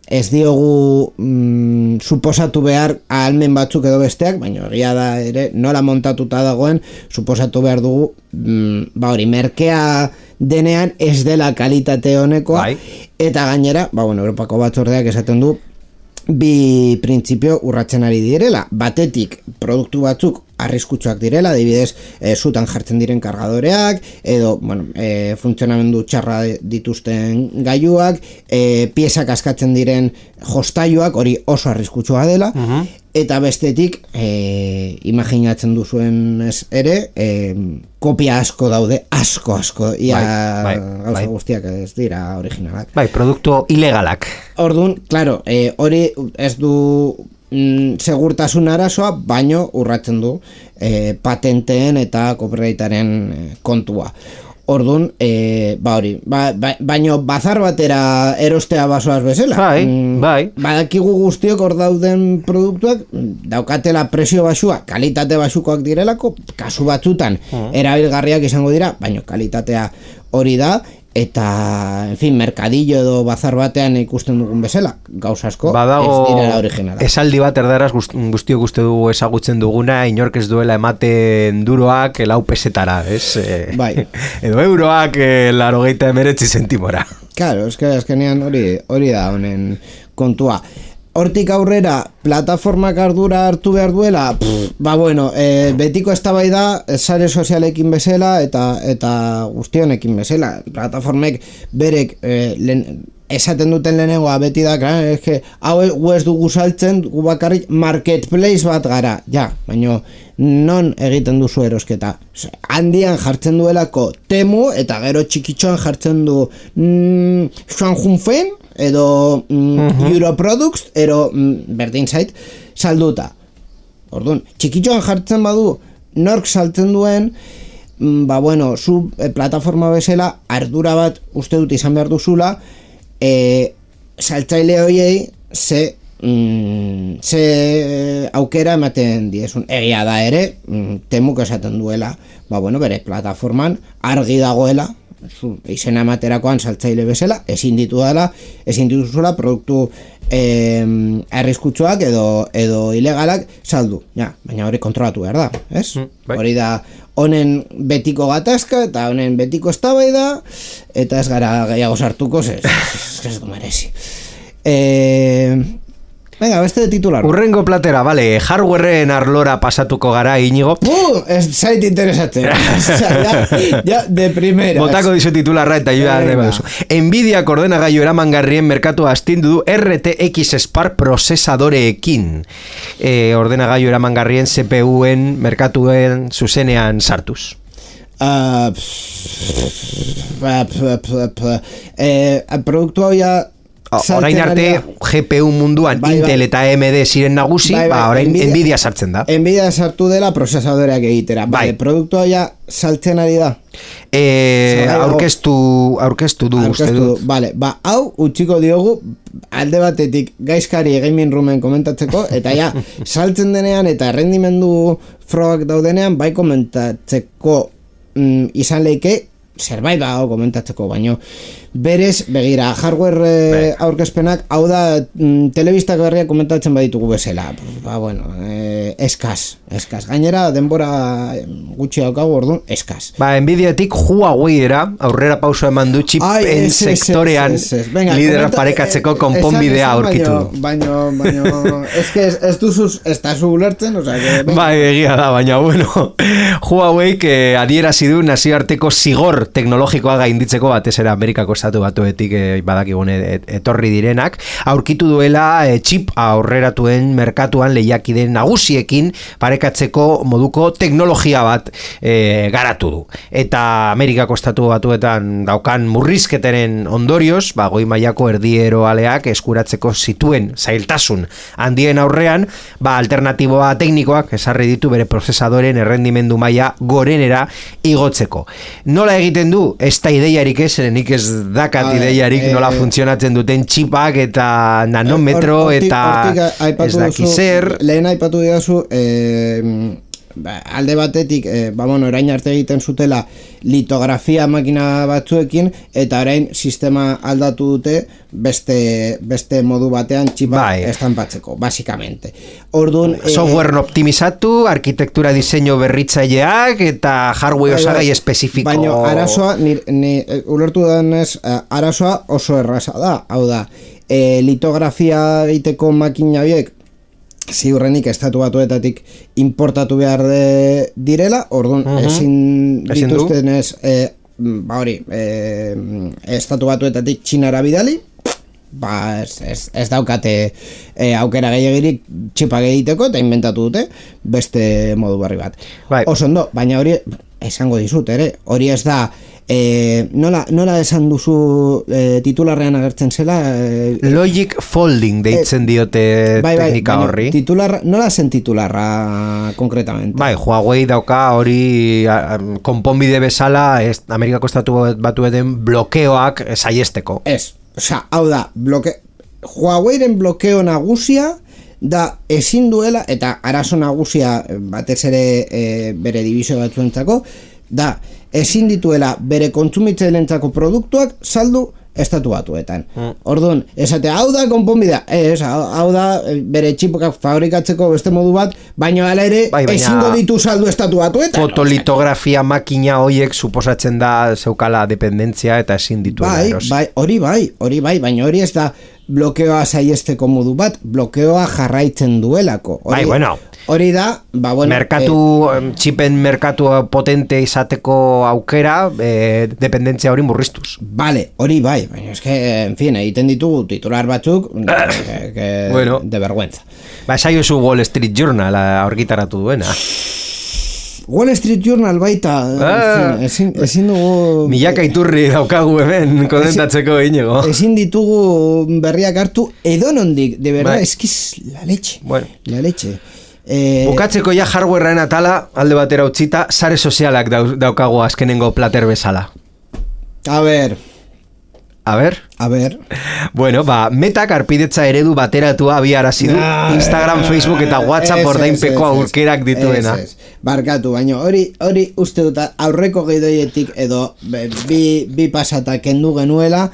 ez diogu mm, suposatu behar ahalmen batzuk edo besteak, baina egia da ere nola montatuta dagoen suposatu behar dugu mm, ba hori, merkea denean ez dela kalitate honekoa bai. Eta gainera, ba, bueno, Europako batzordeak esaten du bi printzipio urratzen ari direla, batetik produktu batzuk arriskutsuak direla, adibidez e, zutan jartzen diren kargadoreak edo bueno, e, funtzionamendu txarra dituzten gailuak, e, piezak askatzen diren jostailuak, hori oso arriskutsua dela uh-huh. eta bestetik e, imaginatzen duzuen ez ere e, kopia asko daude, asko asko ia bai, gauza bai. guztiak ez dira originalak. Bai, produktu ilegalak. Orduan, claro, e, hori ez du mm, segurtasun arazoa, baino urratzen du e, patenteen eta copyrightaren e, kontua. Orduan, e, ba hori, ba, ba, baino bazar batera erostea basoaz bezala. Bai, mm, bai. Badakigu guztiok hor dauden produktuak daukatela presio basua, kalitate basukoak direlako, kasu batzutan uh-huh. erabilgarriak izango dira, baino kalitatea hori da, eta, en fin, merkadillo edo bazar batean ikusten dugun bezala, gauza asko badago, ez direla originala. Esaldi bat erdaraz guztiok uste dugu ezagutzen duguna, inork ez duela ematen duroak lau pesetara, ez? Bai. Edo euroak laurogeita hemeretzi zentimora. Claro, eske azkenean hori hori da honen kontua. Hortik aurrera, plataformak ardura hartu behar duela, pff, ba bueno, e, betiko eztabaida sare sozialekin bezala eta eta guztionekin bezala. Plataformek berek e, len, esaten duten lehenengoa beti da, claro, eske hau ez dugu saltzen, gu bakarrik marketplace bat gara, ja, baino non egiten duzu erosketa. Handian jartzen duelako Temu eta gero txikitxoan jartzen du mm, Shanghunfen edo mm, uh-huh. Europroducts ero mm, berdin zait salduta. Orduan, txikitxoan jartzen badu nork saltzen duen, mm, ba bueno, zu e, plataforma bezala ardura bat uste dut izan behar duzula, e, saltzaile hoiei ze mm, ze aukera ematen diezun. Egia da ere, mm, Temuk esaten duela, ba bueno, bere plataforman argi dagoela, zu, izena ematerakoan saltzaile bezala, ezin ditu dela, ezin dituzuela produktu eh, arriskutsuak edo edo ilegalak saldu. Ja, baina hori kontrolatu behar da, ez? Mm, bai. Hori da honen betiko gatazka eta honen betiko eztabaida eta ez gara gehiago sartuko, ez ez du merezi. Eh, Venga, beste titular. Urrengo platera, vale, hardwareen arlora pasatuko gara, Iñigo. Uh, ez zait interesatzen. ja, ja, de primera. Botako dizu titularra eta joa de baduzu. Nvidia ordenagailu eramangarrien merkatua astindu du R T X Spark prozesadoreekin. E, ordenagailu eramangarrien C P U-en merkatuen zuzenean sartuz. Uh, pff, pff, pff, pff, eh, produktu hau ja orain arte G P U munduan bai, Intel bai. Eta A M D ziren nagusi, bai, bai, ba, orain Nvidia, Nvidia sartzen da. Nvidia sartu dela prozesadoreak egitera. Bai. Vale, produktua ja saltzen ari da. Eh, aurkeztu, aurkeztu du uste dut. Vale, ba, hau utziko diogu alde batetik gaizkari gaming roomen komentatzeko, eta ja, saltzen denean eta errendimendu frogak daudenean bai komentatzeko mm, izan leike zerbait dago komentatzeko, baino berez, begira, hardware eh, aurkezpenak, hau da mm, telebistak berriak komentatzen baditugu bezala, ba bueno, eh, eskaz, eskaz, gainera denbora gutxi daukagu, orduan, eskaz. Ba, Nvidiatik Huawei era, aurrera pauso eman du chipen sektorean lidera parekatzeko konponbidea aurkitu. Baino, baino, baino eske ez, ez duzuz, ez da zu ulertzen, o sea, que... Ba, egia da, baina, bueno, Huawei que adierazi du nazioarteko zigor teknologikoa gainditzeko batez ere Amerikako estatu batuetik e, badakigune et, etorri direnak, aurkitu duela e, chip aurreratuen merkatuan lehiakide nagusiekin parekatzeko moduko teknologia bat e, garatu du. Eta Amerikako estatu batuetan daukan murrizketaren ondorioz, ba, goi mailako erdiero aleak eskuratzeko zituen zailtasun handien aurrean, ba, alternatiboa teknikoak esarri ditu bere prozesadoren errendimendu maila gorenera igotzeko. Nola egiten du? Ez da ideiarik ez, nik ez dakat ideiarik nola funtzionatzen duten txipak eta nanometro eta ez daki zer. Lehen aipatu didazu, eh, alde batetik, eh, ba, bueno, orain arte egiten zutela litografia makina batzuekin, eta orain sistema aldatu dute beste, beste modu batean txipak bai. Estanpatzeko, basikamente. Orduan, software eh, optimizatu, arkitektura diseinu berritzaileak eta hardware osagai espezifiko. Baina arazoa, ni, ni, ulertu denez, arazoa oso erraza da, hau da, eh, litografia egiteko makina biek ziurrenik estatu batuetatik importatu behar de, direla, orduan uh-huh. ezin dituztenez eh, ba hori eh, estatu batuetatik Txinara bidali, ba, ez, ez, ez daukate e, aukera gehiagirik txipak egiteko eta inventatu dute beste modu berri bat. Bai. Oso ondo, baina hori esango dizut ere, hori ez da e, nola, nola esan duzu e, titularrean agertzen zela e, Logic folding deitzen diote bai, bai, teknika horri. Titularra, nola zen titularra konkretamente? Bai, Huawei dauka hori a, a, konponbide bezala ez, Amerikako estatu batueten blokeoak saiesteko. Ez, osea, hau da, bloke, Huaweiren blokeo nagusia da ezin duela, eta arazo nagusia batez ere e, bere dibizio batzuentzako, da ezin dituela bere kontsumitzaileentzako produktuak saldu estatu batuetan. Mm. Orduan, esate, hau da konponbidea, ez, hau da bere txipokak fabrikatzeko beste modu bat, baina hala ere bai, ezingo ditu saldu estatu batuetan. Fotolitografia no? Makina hoiek suposatzen da zeukala dependentzia eta ezin dituela bai, eros. Bai, hori bai, hori bai, baina hori ez da blokeoa saiesteko modu bat, blokeoa jarraitzen duelako. Hori, bai, bueno. Hori da, ba, bueno, merkatu, eh, txipen merkatu potente izateko aukera, eh, dependentzia hori murriztuz. Vale, hori bai, baina eske, en fin, egiten ditugu titular batzuk, que, que bueno, de vergüenza. Ba, saio zu Wall Street Journal argitaratu duena. Wall Street Journal baita, ah, en fin, ezin, ezin dugu... Milaka iturri daukagu hemen, konentatzeko Iñigo. Ezin ditugu berriak hartu edonondik, de verdad, bai. eskiz la leche, bueno. la leche. Eh, Bukatzeko ja hardwarearen atala alde batera utzita, sare sozialak daukagu azkenengo plater bezala. A ver. A ver. A ver. Bueno, ba, Metak arpidetza eredu bateratua abiarazi du ah, Instagram, Facebook eta WhatsApp ordainpeko aurkerak dituena. Es, es. Barkatu, baina hori hori uste dut aurreko gidoietik edo bi, bi pasata kendu genuela.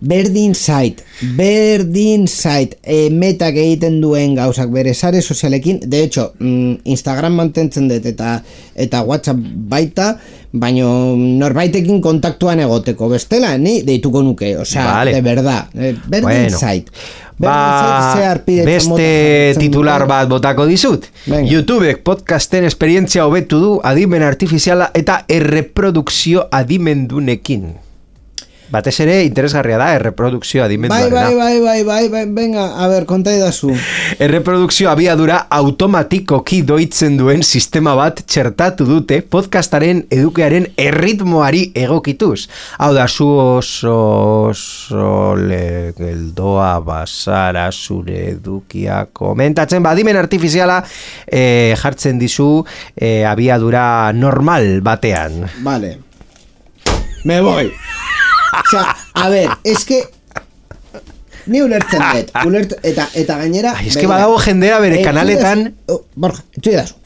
Berdin zait, berdin zait e, Metak egiten duen gauzak bere sare sozialekin, de hecho, mm, Instagram mantentzen dut eta eta WhatsApp baita, baino norbaitekin kontaktuan egoteko bestela, ni deituko nuke, osea, vale. De verdad, e, berdin bueno. zait. Ba, beste titular bat botako dizut. Venga. YouTubek podcasten esperientzia hobetu du adimen artifiziala eta erreprodukzio adimendunekin. Batez ere interesgarria da erreprodukzio adimenduarena. Bai, bai, bai, bai, bai, venga, a ver, konta idazu. Erreprodukzio abiadura automatikoki doitzen duen sistema bat txertatu dute podcastaren edukearen erritmoari egokituz. Hau da, zu oso, oso legeldoa basara zure edukia komentatzen, badimen artifiziala eh, jartzen dizu eh, abiadura normal batean. Vale. Me voy. O sea, a ver, es que ni ulertzen dut, ulert, eta, eta gainera... Ai, es que badago jendera bere eh, kanaletan... Oh, Borja, etxu idazu.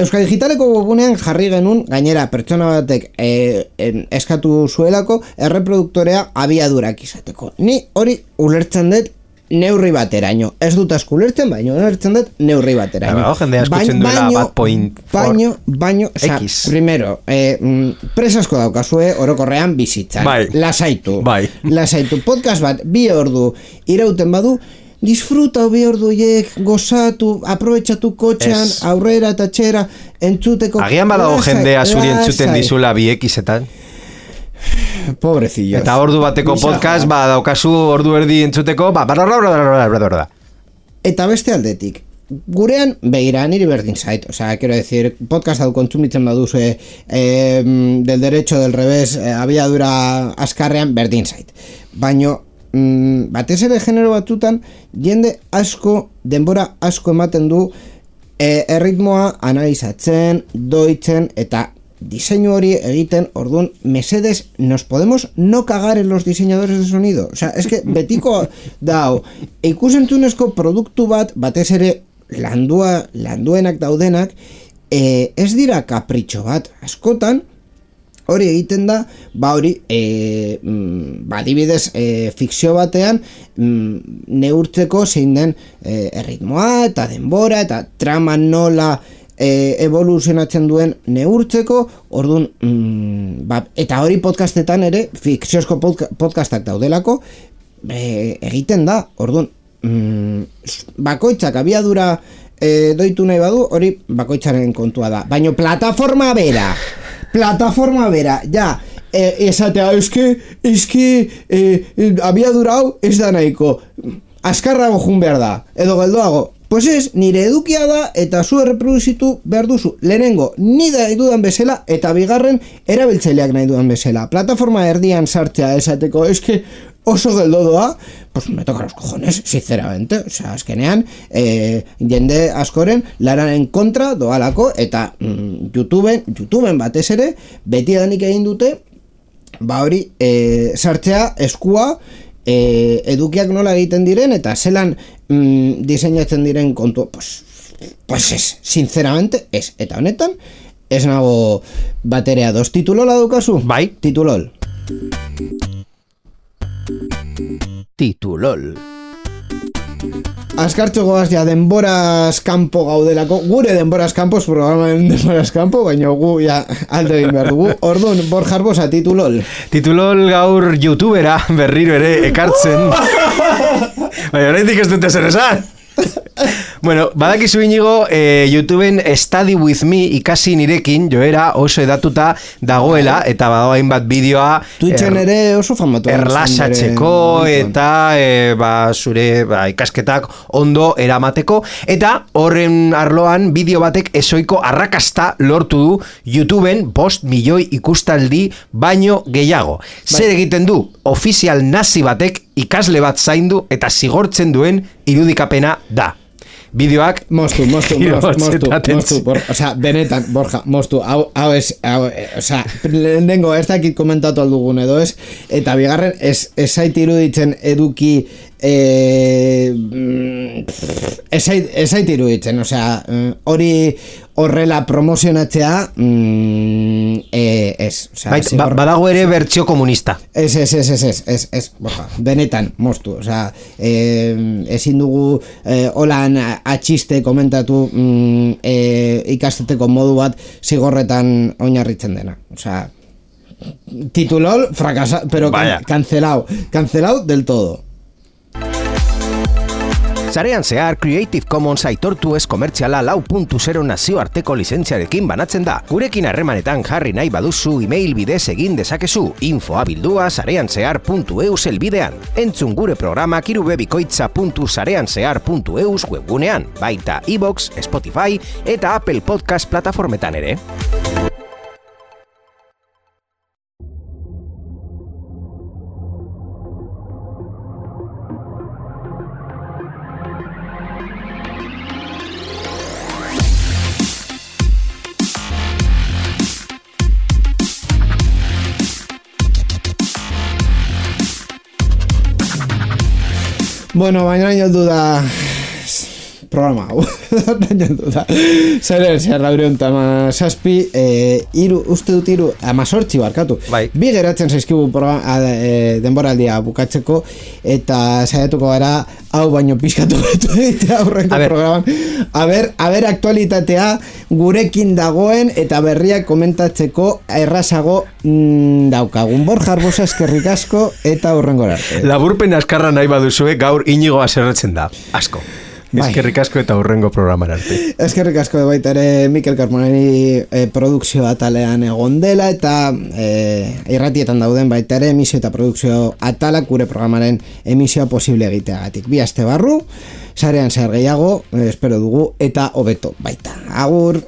Euskal Digitaleko webunean jarri genuen gainera pertsona batek eh, en, eskatu zuelako erreproduktorea abiadurak izateko. Ni hori ulertzen dut neurri bateraino. Ez dut asko ulertzen, baino ulertzen dut neurri bateraino. Baina, jendea eskutzen duela bat point baino, baino, oza, primero, eh, presasko daukazue orokorrean bizitzan. Bai. Lasaitu. Bai. Lasaitu. Podcast bat, bi ordu irauten badu, disfruta bi orduiek, gozatu, aprobetxatu kotxean, es. Aurrera eta txera, entzuteko. Agian badago jendea zuri entzuten dizula bi ekisetan. Pobrecillos. Eta ordu bateko podcast, ba, daukazu ordu erdi entzuteko, ba, barra, eta beste aldetik, gurean, begira, niri berdin zait, o sea, quiero decir, podcast hau kontsumitzen baduzu eh, del derecho, del revés, eh, abiadura askarrean, berdin zait. Baino, mm, batez ere genero batzutan, jende asko, denbora asko ematen du, eh, erritmoa analizatzen, doitzen, eta diseinu hori egiten, orduan, mesedes, nos podemos no cagar en los diseñadores de sonido. O sea, es que betiko dau, ikusentzunezko produktu bat, batez ere landua, landuenak daudenak, eh, ez dira kapritxo bat, askotan, hori egiten da, ba hori, eh, ba adibidez, eh, fikzio batean, mm, neurtzeko zein den eh, erritmoa, eta denbora, eta trama nola, E, evoluzionatzen duen neurtzeko, orduan, mm, ba, eta hori podcastetan ere, fikziozko podca podcastak daudelako, e, egiten da, orduan, mm, bakoitzak abiadura e, doitu nahi badu, hori bakoitzaren kontua da. Baina plataforma bera, plataforma bera, ja, e, esatea, eske, eske, e, e, abiadura hau ez da nahiko, azkarrago jun behar da, edo geldoago. Pues ez, nire edukia da eta zu erreproduzitu behar duzu. Lehenengo, ni da nahi dudan bezala eta bigarren erabiltzaileak nahi dudan bezala. Plataforma erdian sartzea esateko, eske oso geldo doa, pues me toca los cojones, sinceramente. O sea, azkenean, eh, jende askoren lararen kontra doalako eta mm, YouTubeen, YouTubeen batez ere, beti edanik egin dute, ba hori, eh, sartzea eskua, E, edukiak nola egiten diren eta zelan mm, diseinatzen diren kontu, pues, pues ez, sinceramente ez, eta honetan ez nago baterea dos. Titulola dukazu? Bai. Titulol. Titulol. Azkartxo goaz ja denboraz kanpo gaudelako, gure denboraz kanpo, programaren denboraz kanpo, baina gu ja alde egin behar dugu. Orduan, Borja Arbosa, titulol. Titulol gaur youtubera berriro ere ekartzen. Baina horretik ez dute zer esan. Bueno, badakizu inigo, eh, YouTubeen Study With Me ikasi nirekin joera oso edatuta dagoela eta badago hainbat bideoa Twitchen er, ere oso famatu erlasatzeko eta eh, ba, zure ba, ikasketak ondo eramateko eta horren arloan bideo batek ezoiko arrakasta lortu du YouTubeen bost milioi ikustaldi baino gehiago. Bai. Zer egiten du? Ofizial nazi batek ikasle bat zaindu eta zigortzen duen irudikapena da. Bideoak mostu, mostu, mostu, mostu, mostu, bor, o sea, benetan, Borja, mostu, hau, hau ez, hau, o sea, lehenengo ez dakit komentatu aldugun edo ez, eta bigarren ez, ez zait iruditzen eduki eh, ez zait iruditzen, o sea, hori horrela promozionatzea mm, eh, ez, o sea, Bait, ba, badago ere bertsio komunista. Ez, ez, ez, ez, ez, ez, ez, Borja, benetan, mostu, o sea, eh, ezin dugu eh, holan atxiste komentatu mm, eh, ikasteteko modu bat zigorretan oinarritzen dena, o sea, titulol fracasa, pero can, cancelado, cancelado del todo. Sarean zehar Creative Commons aitortu ez komertziala lau puntu zero nazioarteko lizentziarekin banatzen da. Gurekin harremanetan jarri nahi baduzu email bidez egin dezakezu infoa bildua sareanzehar puntu eus elbidean. Entzun gure programak irubebikoitza puntu sareanzehar puntu eus webgunean, baita iVoox, Spotify eta Apple Podcast plataformetan ere. Bueno, baina heldu da programa hau. Baina heldu da. Zeren, zer laureun tama saspi, eh, iru, uste dut iru, amazortzi barkatu. Bai. Bi geratzen zaizkigu programa, eh, denboraldia bukatzeko, eta saiatuko gara, hau baino pizkatu betu egitea aurreko programan. A ber, a ber aktualitatea gurekin dagoen eta berriak komentatzeko errazago mm, daukagun. Borja Arbosa eskerrik asko eta hurrengora arte. Laburpen askarra nahi baduzue gaur Inigo aserretzen da. Asko. Bai. Eskerrik asko eta hurrengo programara arte. Eskerrik asko baita ere Mikel Carmoneri eh, produkzio atalean egon dela eta eh, irratietan dauden baita ere emisio eta produkzio atalak gure programaren emisioa posible egiteagatik. Bi aste barru, sarean zer gehiago, eh, espero dugu eta hobeto baita. Agur!